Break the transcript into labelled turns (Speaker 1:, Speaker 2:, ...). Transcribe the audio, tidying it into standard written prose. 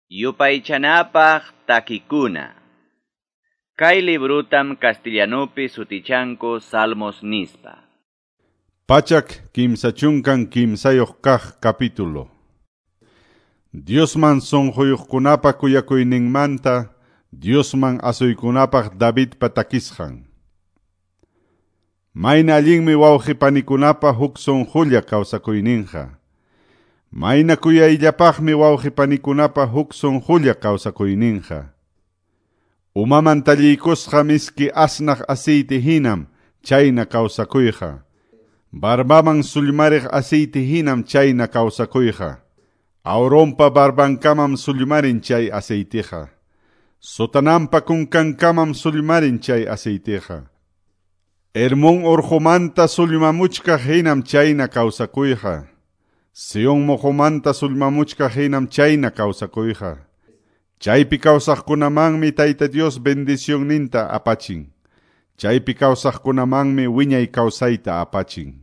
Speaker 1: Yupaychanapaq takikuna. Kay librutam castellanupi sutichanku Salmos nispa.
Speaker 2: 133 kaq capítulo. Diosman sunquyuqkunapa kuyakuyninmanta, Diosman asuykunapaq Davidpa takisqan. Mayna allinmi wawqi panikunapa huk sunqulla kawsakuyninqa. Mayna kuyayllapaqmi wawqi panikunapa huk sunqulla kawsakuyninqa. Umaman talliykusqa miski asnaq aceite hinam chayna kawsakuyqa. Barbaman sullmariq aceite hinam chayna kawsakuyqa. Aaronpa barbankamam sullmarin chay aceiteqa. Sotanampa kunkankamam sullmarin chay aceiteqa. Hermón urqumanta sullmamuchkaq hinam chayna kawsakuyqa. Sion muqumanta sullmamuchkaq hinam chayna kawsakuyqa. Chaypi kawsaqkunamanmi Tayta Dios bendicionninta apachin. Chaypi kawsaqkunamanmi wiñay kawsayta apachin.